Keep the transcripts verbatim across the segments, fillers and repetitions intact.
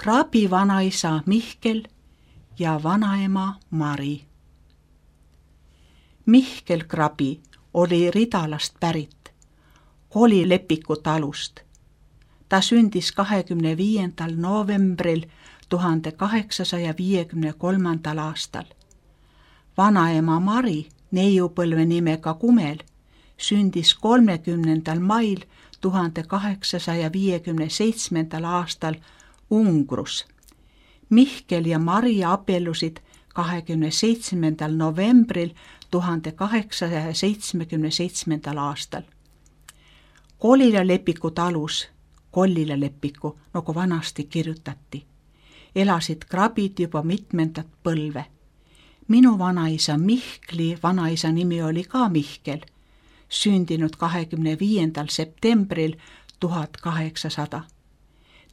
Krabi vanaisa Mihkel ja vanaema Mari. Mihkel Krabi oli Ridalast pärit, Kolilepiku talust. Ta sündis kahekümne viiendal novembril tuhande kaheksasaja viiekümne kolmandal aastal. Vanaema Mari, neiupõlve nimega Kumel, sündis kolmekümnendal mail tuhande kaheksasaja viiekümne seitsmendal aastal Ungrus. Mihkel ja Mari abiellusid kahekümne seitsmendal novembril tuhande kaheksasaja seitsmekümne seitsmendal aastal. Kolilepiku talus, Kollilepiku, nagu vanasti kirjutati, elasid Krabid juba mitmendat põlve. Minu vanaisa Mihkli vanaisa nimi oli ka Mihkel, sündinud kahekümne viiendal septembril tuhat kaheksasada.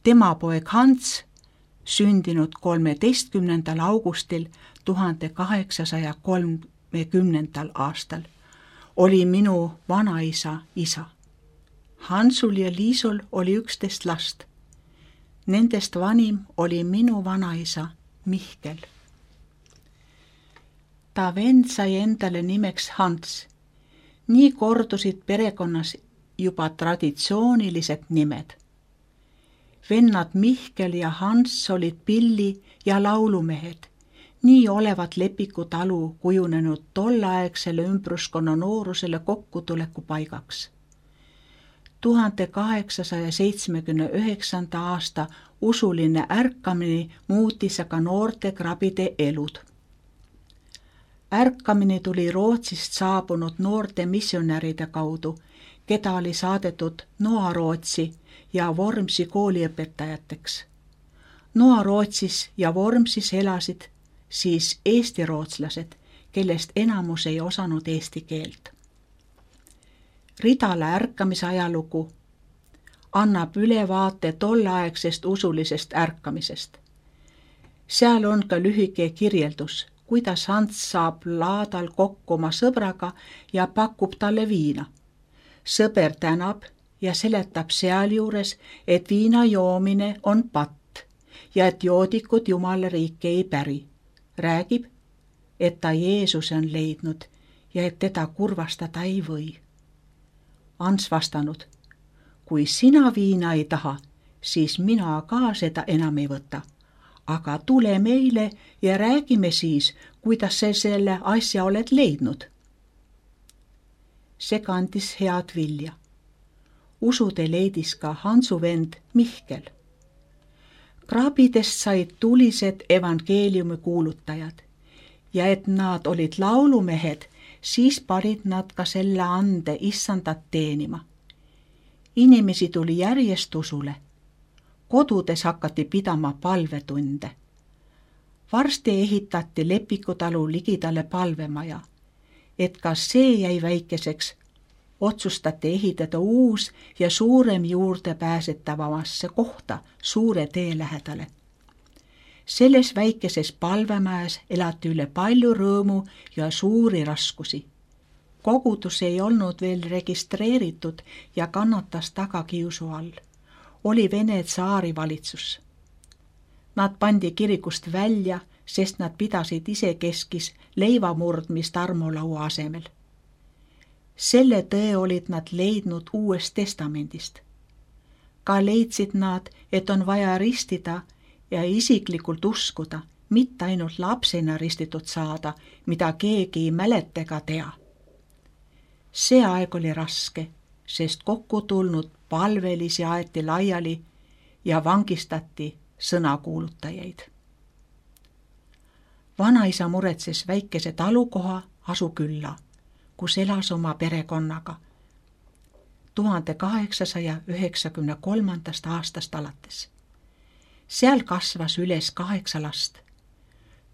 Tema poeg Hans, sündinud kolmeteistkümnendal augustil tuhande kaheksasaja kolmekümnendal aastal, oli minu vanaisa isa. Hansul ja Liisul oli üksteist last. Nendest vanim oli minu vanaisa Mihkel. Ta vend sai endale nimeks Hans. Nii kordusid perekonnas juba traditsioonilised nimed. Vennad Mihkel ja Hans olid pilli- ja laulumehed. Nii olevat Lepiku talu kujunenud tolleaegsele ümbruskonna noorusele kokkutuleku paigaks. tuhande kaheksasaja seitsmekümne üheksanda aasta usuline ärkamine muutis aga noorte Krabide elud. Ärkamine tuli Rootsist saabunud noorte missionäride kaudu, keda oli saadetud Noa-Rootsi ja Vormsi kooliõpetajateks. Noa-Rootsis ja Vormsis elasid siis eesti-rootslased, kellest enamus ei osanud eesti keelt. Ridala ärkamise ajalugu annab ülevaate tolleaegsest usulisest ärkamisest. Seal on ka lühike kirjeldus, kuidas Hans saab laadal kokku oma sõbraga ja pakub talle viina. Sõber tänab ja seletab sealjuures, et viina joomine on patt ja et joodikud Jumala riiki ei päri. Räägib, et ta Jeesuse on leidnud ja et teda kurvastada ei või. Hans vastanud, kui sina viina ei taha, siis mina ka seda enam ei võta. Aga tule meile ja räägime siis, kuidas sa selle asja oled leidnud. See kandis head vilja. Usude leidis ka Hansu vend Mihkel. Krabidest said tulised evangeeliumi kuulutajad ja et nad olid laulumehed, siis panid nad ka selle ande issandat teenima. Inimesi tuli järjest usule. Kodudes hakati pidama palvetunde. Varsti ehitati Lepiku talu ligidale palvemaja. Et ka see jäi väikeseks, otsustati ehitada uus ja suurem juurdepääsetavamasse kohta suure tee lähedale. Selles väikeses palvemajas elati üle palju rõõmu ja suuri raskusi. Kogudus ei olnud veel registreeritud ja kannatas tagakiusu all. Oli Vene tsaari valitsus. Nad pandi kirikust välja, sest nad pidasid isekeskis leivamurdmist armulaua asemel. Selle tõe olid nad leidnud Uuest testamendist. Ka leidsid nad, et on vaja ristida ja isiklikult uskuda, mitte ainult lapsena ristitud saada, mida keegi ei mäleta ega tea. See aeg oli raske, sest kokku tulnud palvelisi aeti laiali ja vangistati sõnakuulutajaid. Vanaisa muretses väikese talukoha Asukülla, kus elas oma perekonnaga tuhande kaheksasaja üheksakümne kolmandast aastast alates. Seal kasvas üles kaheksa last.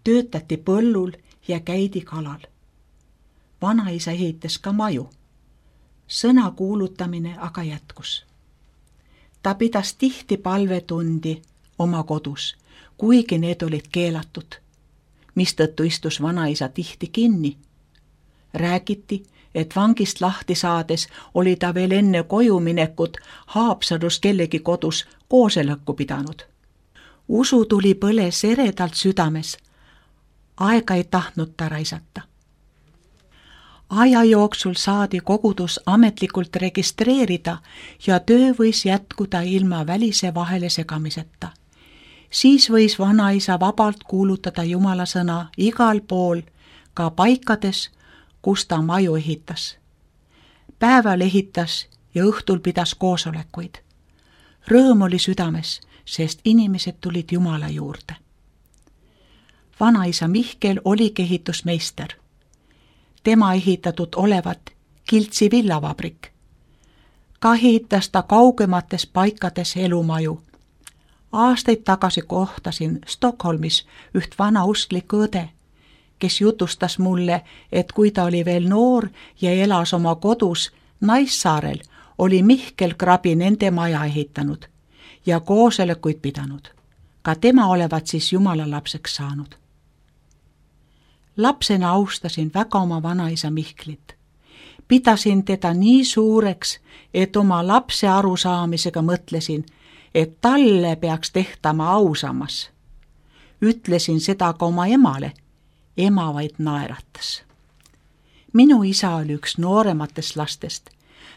Töötati põllul ja käidi kalal. Vanaisa ehitas ka maju. Sõna kuulutamine aga jätkus. Ta pidas tihti palvetundi oma kodus, kuigi need olid keelatud, mistõttu istus vanaisa tihti kinni. Räägiti, et vangist lahti saades oli ta veel enne koju minekut Haapsalus kellegi kodus koosolekut pidanud. Usu tuli põles eredalt südames. Aega ei tahtnud ta raisata. Aja jooksul saadi kogudus ametlikult registreerida ja töö võis jätkuda ilma välise vahele segamiseta. Siis võis vanaisa vabalt kuulutada Jumala sõna igal pool, ka paikades, kus ta maju ehitas. Päeval ehitas ja õhtul pidas koosolekuid. Rõõm oli südames, sest inimesed tulid Jumala juurde. Vanaisa Mihkel oligi ehitusmeister. Tema ehitatud olevat Kiltsi villavabrik. Ka ehitas ta kaugemates paikades elumaju. Aastaid tagasi kohtasin Stockholmis üht vanausklikku õde, kes jutustas mulle, et kui ta oli veel noor ja elas oma kodus Naissaarel, oli Mihkel Krabi nende maja ehitanud ja koosolekuid pidanud. Ka tema olevat siis Jumala lapseks saanud. Lapsena austasin väga oma vanaisa Mihklit. Pidasin teda nii suureks, et oma lapse arusaamisega mõtlesin, et talle peaks tehtama ausamas. Ütlesin seda ka oma emale. Ema vaid naeratas. Minu isa oli üks noorematest lastest.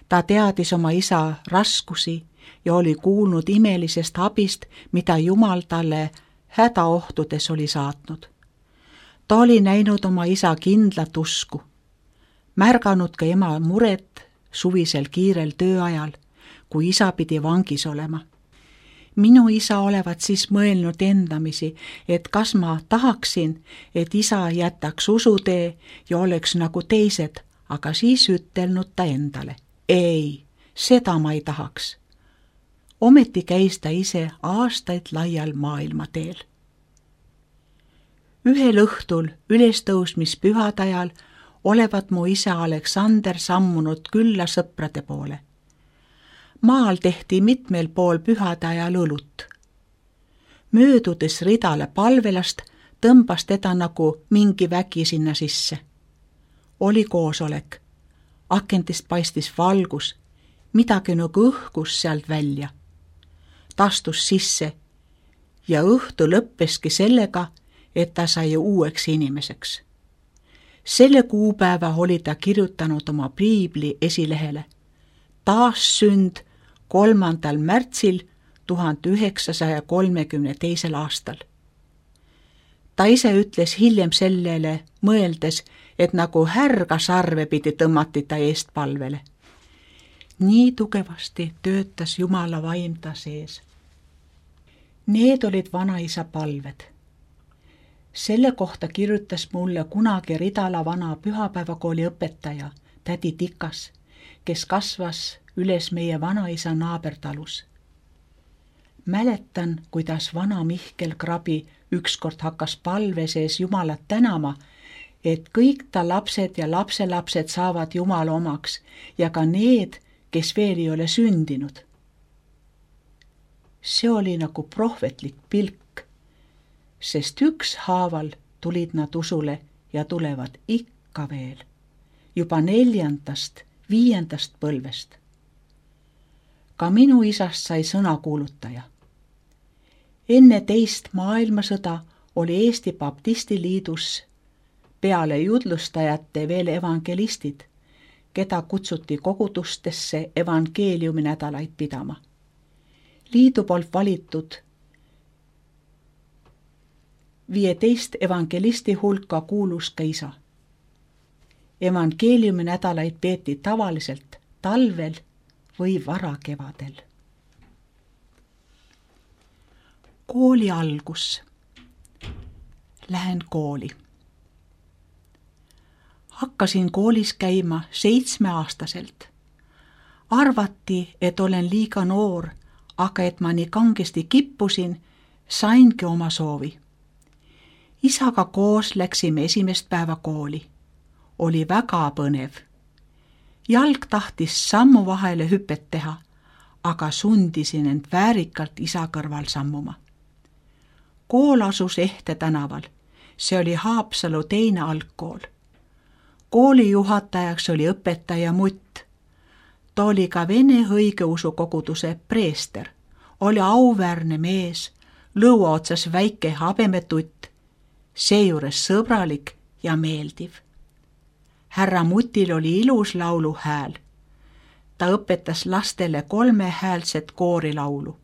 Ta teadis oma isa raskusi ja oli kuulnud imelisest abist, mida Jumal talle hädaohtudes oli saatnud. Ta oli näinud oma isa kindlat usku, märganud ka ema muret suvisel kiirel tööajal, kui isa pidi vangis olema. Minu isa olevat siis mõelnud endamisi, et kas ma tahaksin, et isa jätaks usutee ja oleks nagu teised, aga siis ütelnud ta endale. Ei, seda ma ei tahaks. Ometi käis ta ise aastaid laial maailmateel. Ühel õhtul ülestõusmispühade ajal olevat mu isa Aleksander sammunud külla sõprade poole. Maal tehti mitmel pool pühade ajal õlut. Möödudes ridale palvelast tõmbas teda nagu mingi vägi sinna sisse. Oli koosolek. Akentist paistis valgus, midagi nagu õhkus sealt välja. Ta astus sisse ja õhtu lõppeski sellega, et ta sai uueks inimeseks. Selle kuupäeva oli ta kirjutanud oma piibli esilehele. Taassünd kolmandal märtsil tuhande üheksasaja kolmekümne teisel aastal. Ta ise ütles hiljem sellele mõeldes, et nagu härga sarve pidi tõmmati ta eest palvele. Nii tugevasti töötas Jumala vaim ta sees. Need olid vanaisa palved. Selle kohta kirjutas mulle kunagi Ridala vana pühapäevakooli õpetaja, tädi Tikas, kes kasvas üles meie vanaisa naabertalus. Mäletan, kuidas vana Mihkel Krabi ükskord hakkas palve sees Jumalat tänama, et kõik ta lapsed ja lapselapsed saavad Jumala omaks ja ka need, kes veel ei ole sündinud. See oli nagu prohvetlik pilk, sest ükshaaval tulid nad usule ja tulevad ikka veel, juba neljandast, viiendast põlvest. Ka minu isast sai sõnakuulutaja. Enne teist maailmasõda oli Eesti Baptistiliidus peale judlustajate veel evangelistid, keda kutsuti kogudustesse evangeeliumi nädalaid pidama. Liidu poolt valitud viieteist evangelisti hulka kuulus ka isa. Evangeeliumi nädalaid peeti tavaliselt talvel või varakevadel. Kooli algus. Lähen kooli. Hakkasin koolis käima seitsmeaastaselt. Arvati, et olen liiga noor, aga et ma nii kangesti kippusin, saingi oma soovi. Isaga koos läksime esimest päeva kooli. Oli väga põnev. Jalg tahtis sammu vahele hüpet teha, aga sundisin end väärikalt isa kõrval sammuma. Kool asus Ehte tänaval. See oli Haapsalu teine algkool. Kooli juhatajaks oli õpetaja Mutt. Ta oli ka Vene õigeusu koguduse preester. Oli auväärne mees, lõua otsas väike habemetutt, seejuures sõbralik ja meeldiv. Härra Mutil oli ilus lauluhääl. Ta õpetas lastele kolmehäälset koorilaulu.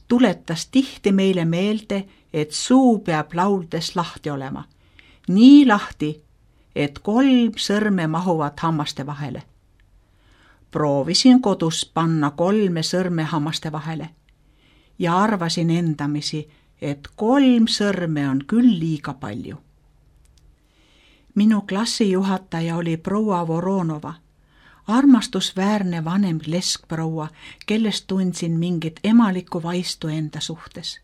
Tuletas tihti meile meelde, et suu peab lauldes lahti olema. Nii lahti, et kolm sõrme mahuvad hammaste vahele. Proovisin kodus panna kolme sõrme hammaste vahele ja arvasin endamisi, et kolm sõrme on küll liiga palju. Minu klassijuhataja oli proua Voronova, armastusväärne vanem leskproua, kellest tundsin mingit emalikku vaistu enda suhtes.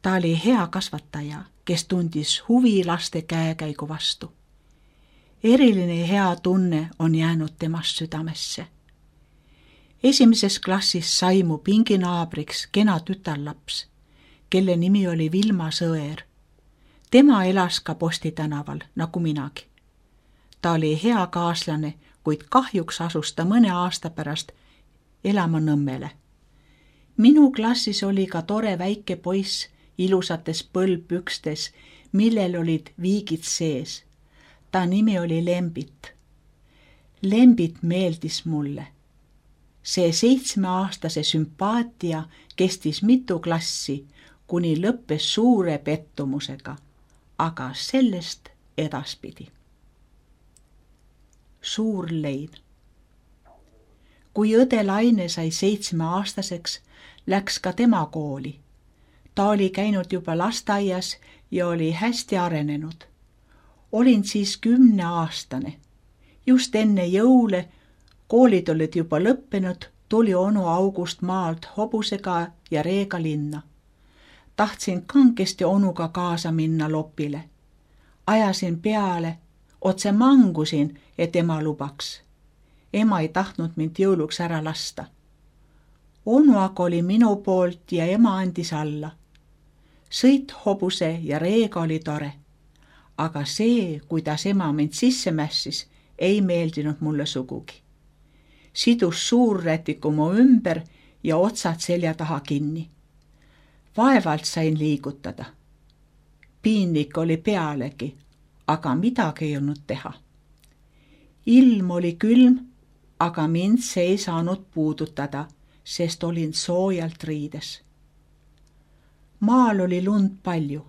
Ta oli hea kasvataja, kes tundis huvi laste käekäigu vastu. Eriline hea tunne on jäänud temast südamesse. Esimeses klassis sai mu pinginaabriks kena tütarlaps, kelle nimi oli Vilma Sõer. Tema elas ka Posti tänaval, nagu minagi. Ta oli hea kaaslane, kuid kahjuks asus ta mõne aasta pärast elama Nõmmele. Minu klassis oli ka tore väike poiss ilusates põlvpükstes, millel olid viigid sees. Ta nimi oli Lembit. Lembit meeldis mulle. See seitsmeaastase sümpaatia kestis mitu klassi, kuni lõppes suure pettumusega, aga sellest edaspidi. Suur lein. Kui õde Laine sai seitsmeaastaseks, läks ka tema kooli. Ta oli käinud juba lasteaias ja oli hästi arenenud. Olin siis kümneaastane. Just enne jõule, koolid olid juba lõppenud, tuli onu August maalt hobusega ja reega linna. Tahtsin kangesti onuga kaasa minna lopile. Ajasin peale, otse mangusin, et ema lubaks. Ema ei tahtnud mind jõuluks ära lasta. Onu aga oli minu poolt ja ema andis alla. Sõit hobuse ja reega oli tore. Aga see, kuidas ema mind sisse mässis, ei meeldinud mulle sugugi. Sidus suurrätiku mu ümber ja otsad selja taha kinni. Vaevalt sain liigutada. Piinlik oli pealegi, aga midagi ei olnud teha. Ilm oli külm, aga mind see ei saanud puudutada, sest olin soojalt riides. Maal oli lund palju.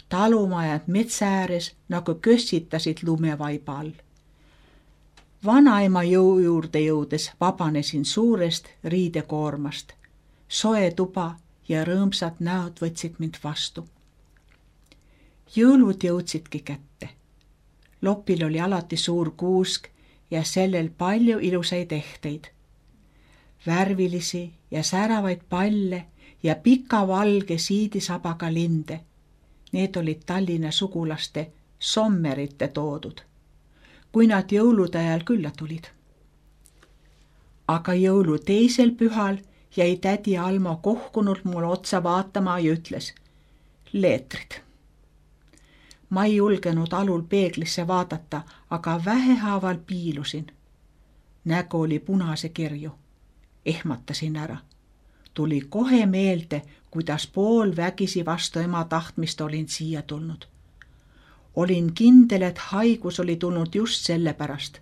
Talumajad metsa ääres nagu kössitasid lumevaiba all. Vanaema jõu juurde jõudes vabanesin suurest riidekoormast. Soe tuba ja rõõmsad näod võtsid mind vastu. Jõulud jõudsidki kätte. Lopil oli alati suur kuusk ja sellel palju ilusaid ehteid. Värvilisi ja säravaid palle ja pika valge siidisabaga linde. Need olid Tallinna sugulaste sommerite toodud, kui nad jõulude ajal külla tulid. Aga jõulu teisel pühal jäi tädi Almo kohkunult mulle otsa vaatama ja ütles: leetrid. Ma ei julgenud alul peeglisse vaadata, aga vähehaaval piilusin. Nägu oli punase kirju. Ehmatasin ära. Tuli kohe meelde, kuidas pool vägisi vastu ema tahtmist olin siia tulnud. Olin kindel, et haigus oli tulnud just selle pärast.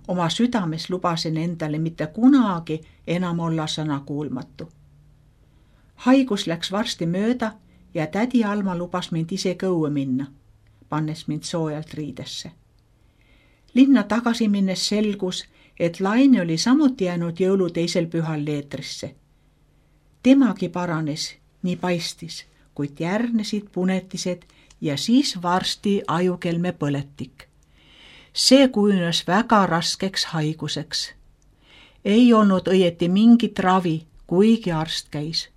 Oma südames lubasin endale mitte kunagi enam olla sõna kuulmatu. Haigus läks varsti mööda ja tädi Alma lubas mind ise õue minna, pannes mind soojalt riidesse. Linna tagasi minnes selgus, et Laine oli samuti jäänud jõulu teisel pühal leetrisse. Temagi paranes, nii paistis, kuid järgnesid punetised ja siis varsti ajukelme põletik. See kujunes väga raskeks haiguseks. Ei olnud õieti mingit ravi, kuigi arst käis.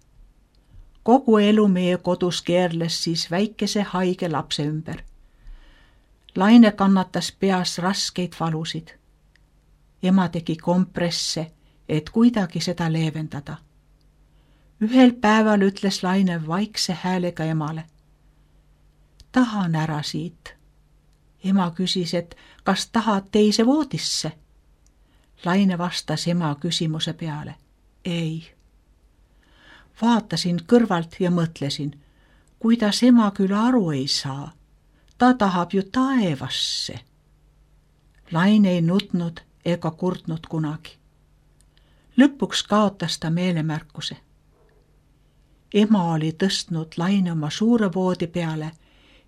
Kogu elu meie kodus keerles siis väikese haige lapse ümber. Laine kannatas peas raskeid valusid. Ema tegi kompresse, et kuidagi seda leevendada. Ühel päeval ütles Laine vaikse häälega emale: tahan ära siit. Ema küsis, et kas tahad teise voodisse? Laine vastas ema küsimuse peale: ei. Vaatasin kõrvalt ja mõtlesin, kuidas ema küll aru ei saa. Ta tahab ju taevasse. Laine ei nutnud ega kurtnud kunagi. Lõpuks kaotas ta meelemärkuse. Ema oli tõstnud Laine oma suure voodi peale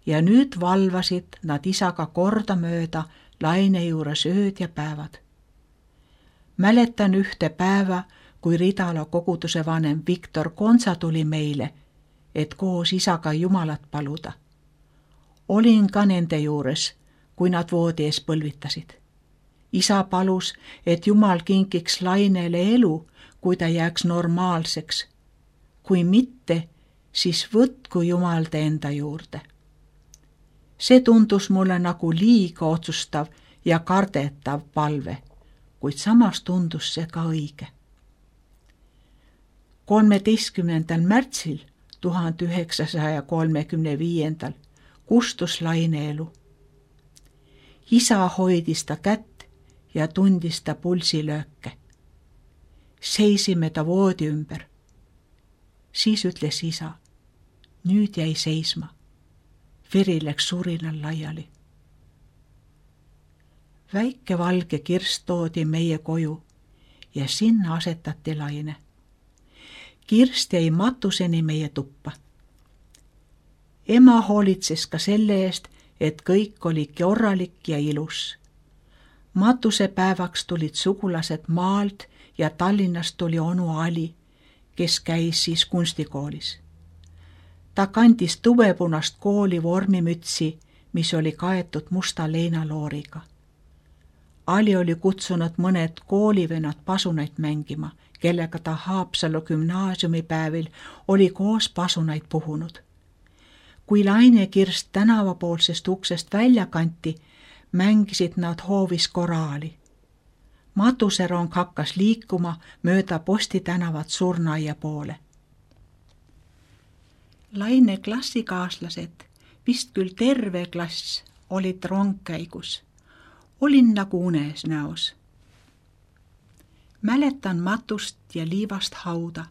ja nüüd valvasid nad isaga kordamööda Laine juures ööd ja päevad. Mäletan ühte päeva, kui Ridala koguduse vanem Viktor Konsa tuli meile, et koos isaga Jumalat paluda. Olin ka nende juures, kui nad voodi ees põlvitasid. Isa palus, et Jumal kinkiks Lainele elu, kui ta jääks normaalseks. Kui mitte, siis võtku Jumal ta enda juurde. See tundus mulle nagu liiga otsustav ja kardetav palve, kuid samas tundus see ka õige. kolmeteistkümnendal märtsil tuhande üheksasaja kolmekümne viiendal kustus Laine elu. Isa hoidis ta kätt ja tundis ta pulsilööke. Seisime ta voodi ümber. Siis ütles isa, nüüd jäi seisma. Veri läks surinal laiali. Väike valge kirst toodi meie koju ja sinna asetati Laine. Kirst jäi matuseni meie tuppa. Ema hoolitses ka selle eest, et kõik oli korralik ja ilus. Matusepäevaks tulid sugulased maalt ja Tallinnast tuli onu Ali, kes käis siis kunstikoolis. Ta kandis tubepunast kooli vormimütsi, mis oli kaetud musta leinalooriga. Ali oli kutsunud mõned koolivennad pasunaid mängima, kellega ta Haapsalu gümnaasiumipäevil oli koos pasunaid puhunud. Kui Laine Kirst tänavapoolsest uksest välja kanti, mängisid nad hoovis koraali. Matuserong hakkas liikuma mööda Posti tänavat Surnaia poole. Laine klassikaaslased, vist küll terve klass, olid rongkäigus. Olin nagu unes näos. Mäletan Matust ja Liivast hauda,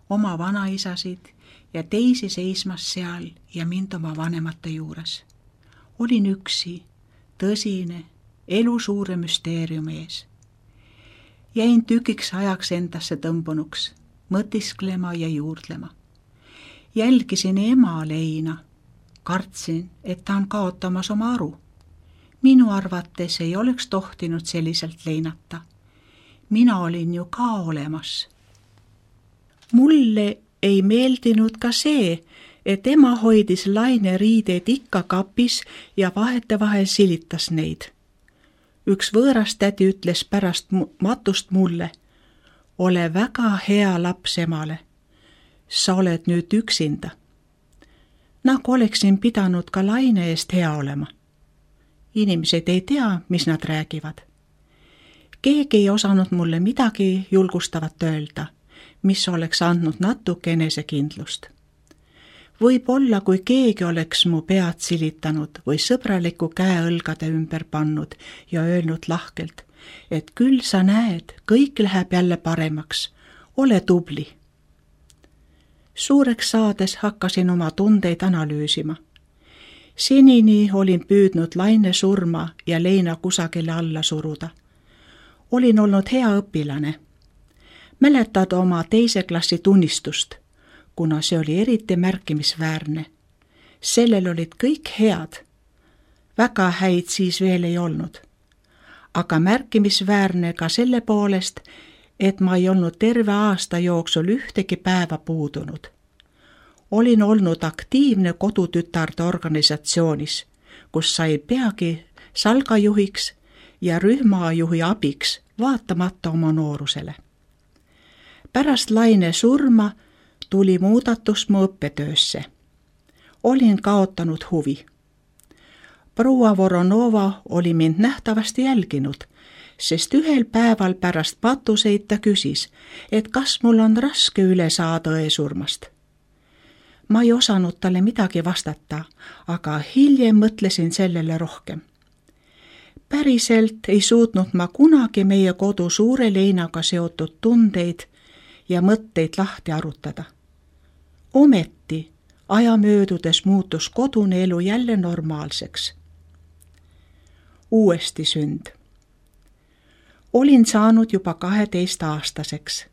oma vanaisasid ja teisi seismas seal ja mind oma vanemate juures. Olin üksi, tõsine, elu suure müsteeriumi ees. Jäin tükiks ajaks endasse tõmbunuks, mõtisklema ja juurdlema. Jälgisin ema Leina, kartsin, et ta on kaotamas oma aru. Minu arvates ei oleks tohtinud selliselt leinata. Mina olin ju ka olemas. Mulle ei meeldinud ka see, et ema hoidis Laine riideid ikka kapis ja vahetevahel silitas neid. Üks võõras tädi ütles pärast Matust mulle, ole väga hea laps emale. Sa oled nüüd üksinda. Nagu oleksin pidanud ka Laine eest hea olema. Inimesed ei tea, mis nad räägivad. Keegi ei osanud mulle midagi julgustavat öelda, mis oleks andnud natuke enesekindlust. Võib-olla, kui keegi oleks mu pead silitanud või sõbraliku käe õlgade ümber pannud ja öelnud lahkelt, et küll sa näed, kõik läheb jälle paremaks, ole tubli. Suureks saades hakkasin oma tundeid analüüsima. Senini olin püüdnud Laine surma ja Leina kusagile alla suruda. Olin olnud hea õpilane. Mäletad oma teise klassi tunnistust, kuna see oli eriti märkimisväärne. Sellel olid kõik head. Väga häid siis veel ei olnud. Aga märkimisväärne ka selle poolest, et ma ei olnud terve aasta jooksul ühtegi päeva puudunud. Olin olnud aktiivne kodutütarde organisatsioonis, kus sai peagi salgajuhiks ja rühmajuhi abiks, vaatamata oma noorusele. Pärast Laine surma tuli muudatus mu õppetöösse. Olin kaotanud huvi. Proua Voronova oli mind nähtavasti jälginud, sest ühel päeval pärast patuseid ta küsis, et kas mul on raske üle saada õesurmast. Ma ei osanud talle midagi vastata, aga hiljem mõtlesin sellele rohkem. Päriselt ei suutnud ma kunagi meie kodu suure Leinaga seotud tundeid ja mõtteid lahti arutada. Ometi aja möödudes muutus kodune elu jälle normaalseks. Uuesti sünd. Olin saanud juba kaheteistaastaseks.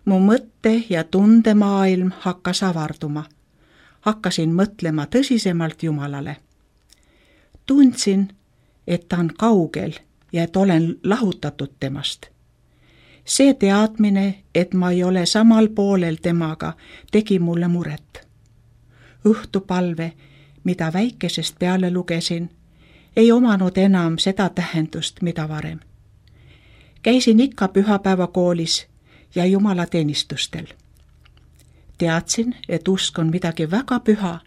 Mu mõtte- ja tundemaailm hakkas avarduma. Hakkasin mõtlema tõsisemalt Jumalale. Tundsin, et ta on kaugel ja et olen lahutatud temast. See teadmine, et ma ei ole samal poolel temaga, tegi mulle muret. Õhtupalve, mida väikesest peale lugesin, ei omanud enam seda tähendust, mida varem. Käisin ikka pühapäevakoolis ja jumalateenistustel. Teadsin, et usk on midagi väga püha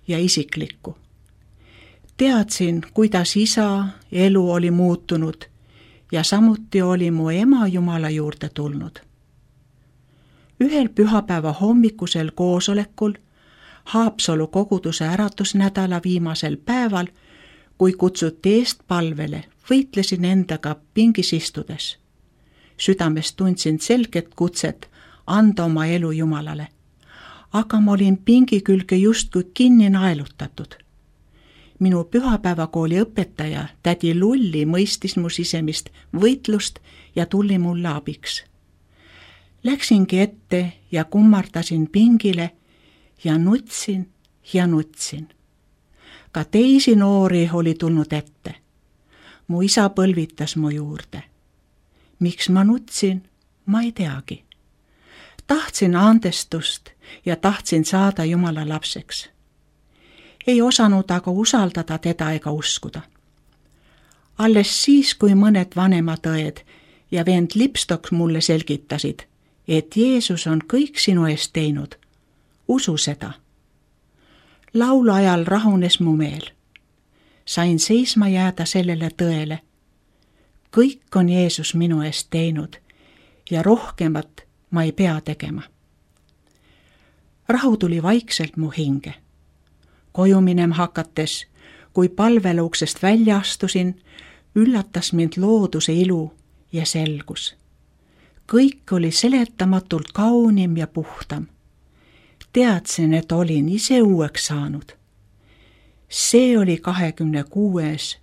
ja isiklikku. Teadsin, kuidas isa elu oli muutunud ja samuti oli mu ema Jumala juurde tulnud. Ühel pühapäeva hommikusel koosolekul, Haapsalu koguduse äratusnädala viimasel päeval, kui kutsuti eest palvele, võitlesin endaga pingis istudes. Südames tundsin selget kutset anda oma elu Jumalale, aga ma olin pingi külge justkui kinni naelutatud. Minu pühapäevakooli õpetaja, tädi Lulli, mõistis mu sisemist võitlust ja tuli mulle abiks. Läksingi ette ja kummardasin pingile ja nutsin ja nutsin. Ka teisi noori oli tulnud ette. Mu isa põlvitas mu juurde. Miks ma nutsin, ma ei teagi. Tahtsin andestust ja tahtsin saada Jumala lapseks. Ei osanud aga usaldada teda ega uskuda. Alles siis, kui mõned vanemad õed ja vend Lipstok mulle selgitasid, et Jeesus on kõik sinu eest teinud, usu seda. Laulu ajal rahunes mu meel. Sain seisma jääda sellele tõele. Kõik on Jeesus minu eest teinud ja rohkemat ma ei pea tegema. Rahu tuli vaikselt mu hinge. Koju minem hakates, kui palveluuksest välja astusin, üllatas mind looduse ilu ja selgus. Kõik oli seletamatult kaunim ja puhtam. Teadsin, et olin ise uueks saanud. See oli kahekümne kuues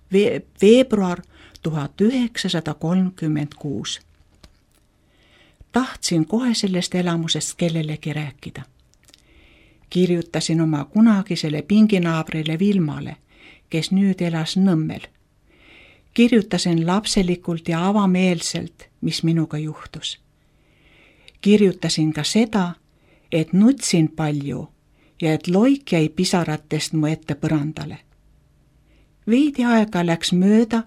veebruar tuhat üheksasada kolmkümmend kuus. Tahtsin kohe sellest elamusest kellelegi rääkida. Kirjutasin oma kunagisele pinginaabrile Vilmale, kes nüüd elas Nõmmel. Kirjutasin lapselikult ja avameelselt, mis minuga juhtus. Kirjutasin ka seda, et nutsin palju ja et loik jäi pisaratest mu ette põrandale. Veidi aega läks mööda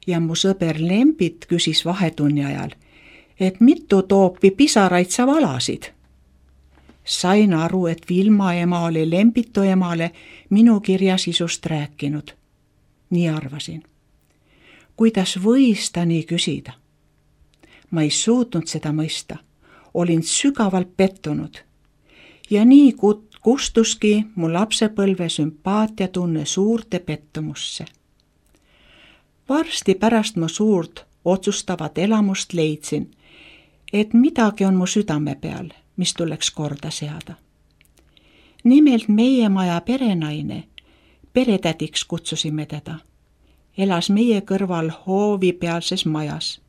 ja mu sõber Lembit küsis vahetunni ajal, et mitu toopi pisaraid sa valasid. Sain aru, et Vilma ema oli Lembitu emale minu kirja sisust rääkinud. Nii arvasin. Kuidas võis ta nii küsida? Ma ei suutnud seda mõista. Olin sügavalt pettunud. Ja nii kustuski mu lapsepõlve sümpaatiatunne suurde pettumusse. Varsti pärast mu suurt otsustavat elamust leidsin, et midagi on mu südame peal, mis tuleks korda seada. Nimelt meie maja perenaine, peretädiks kutsusime teda, elas meie kõrval hoovi pealses majas.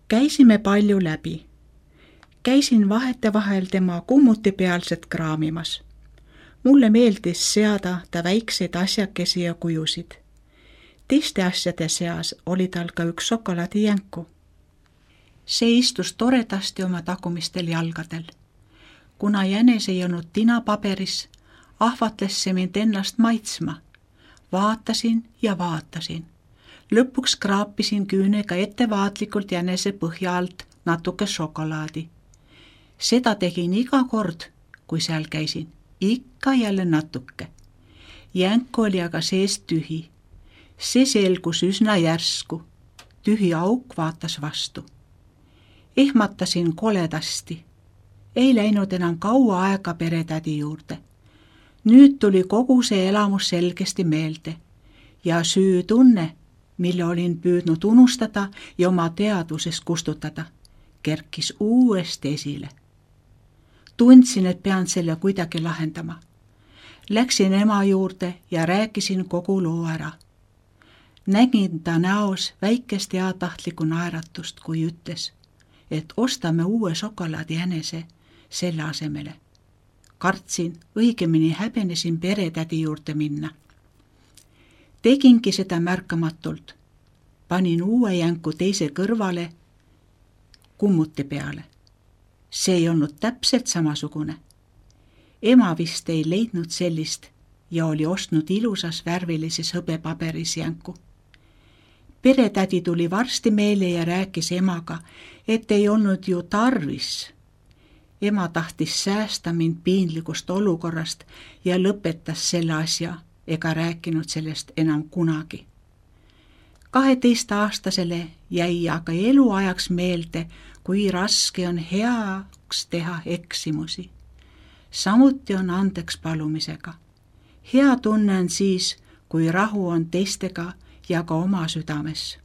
Käisime palju läbi. Käisin vahetevahel tema kummuti pealset kraamimas. Mulle meeldis seada ta väikseid asjakesi ja kujusid. Teiste asjade seas oli tal ka üks šokolaadijänku. See istus toredasti oma tagumistel jalgadel. Kuna jänes ei olnud tinapaberis, ahvatles see mind ennast maitsma. Vaatasin ja vaatasin. Lõpuks kraapisin küünega ettevaatlikult jänese põhja alt natuke šokolaadi. Seda tegin iga kord, kui seal käisin. Ikka jälle natuke. Jänk oli aga seest tühi. See selgus üsna järsku. Tühi auk vaatas vastu. Ehmatasin koledasti. Ei läinud enam kaua aega peretädi juurde. Nüüd tuli kogu see elamus selgesti meelde ja süütunne, mille olin püüdnud unustada ja oma teadvusest kustutada, kerkis uuesti esile. Tundsin, et pean selle kuidagi lahendama. Läksin ema juurde ja rääkisin kogu loo ära. Nägin ta näos väikest heatahtlikku naeratust, kui ütles, et ostame uue šokolaadi jänese selle asemele. Kartsin, õigemini häbenesin peretädi juurde minna. Tegingi seda märkamatult. Panin uue jänku teise kõrvale kummuti peale. See ei olnud täpselt samasugune. Ema vist ei leidnud sellist ja oli ostnud ilusas värvilises hõbepaberis jänku. Peretädi tuli varsti meile ja rääkis emaga, et ei olnud ju tarvis. Ema tahtis säästa mind piinlikust olukorrast ja lõpetas selle asja ega rääkinud sellest enam kunagi. kaheteistaastasele jäi aga eluajaks meelde, kui raske on heaks teha eksimusi. Samuti on andeks palumisega. Hea tunne on siis, kui rahu on teistega ja ka oma südames.